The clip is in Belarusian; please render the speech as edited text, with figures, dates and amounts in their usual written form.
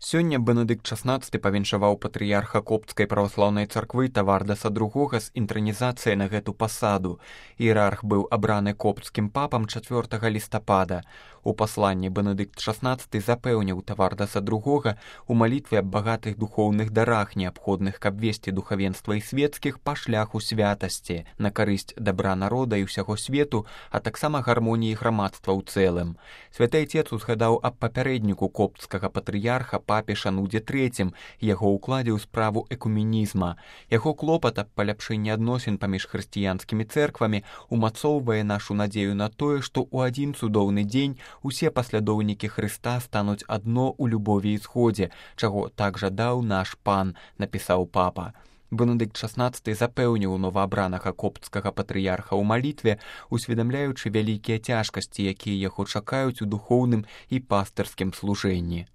Сёння Бенедыкт XVI павіншаваў патрыярха Коптскай праваслаўнай царквы Тавардаса II з інтранізацыяй на гэту пасаду. Іерарх быў абраны коптскім папам 4 лістапада. У пасланні Бенедыкт XVI запэўніў Тавардаса II у малітве аб багатых духоўных дарах, неабходных, каб весці духавенства і свецкіх па шляху святасці, на карысць дабра народа і ўсяго свету, а таксама гармоніі грамадства ў цэлым. Святы Айцец узгадаў аб папярэдніку коптскага патрыярха папе Шанудзе III, яго ўкладзе ў справу экуменізма. Яго клопат аб паляпшэнні адносін паміж хрысціянскімі цэрквамі умацоўвае нашу надзею на тое, што ў адзін цудоўны дзень усе паслядоўнікі Хрыста стануць адно ў любові і згодзе, чаго так жадаў наш пан, напісаў папа. Бенедыкт XVI запэўніў новаабранага коптскага патрыярха ў малітве, усведамляючы вялікія цяжкасці, якія яго чакаюць у духоўным і пастырскім служэнні.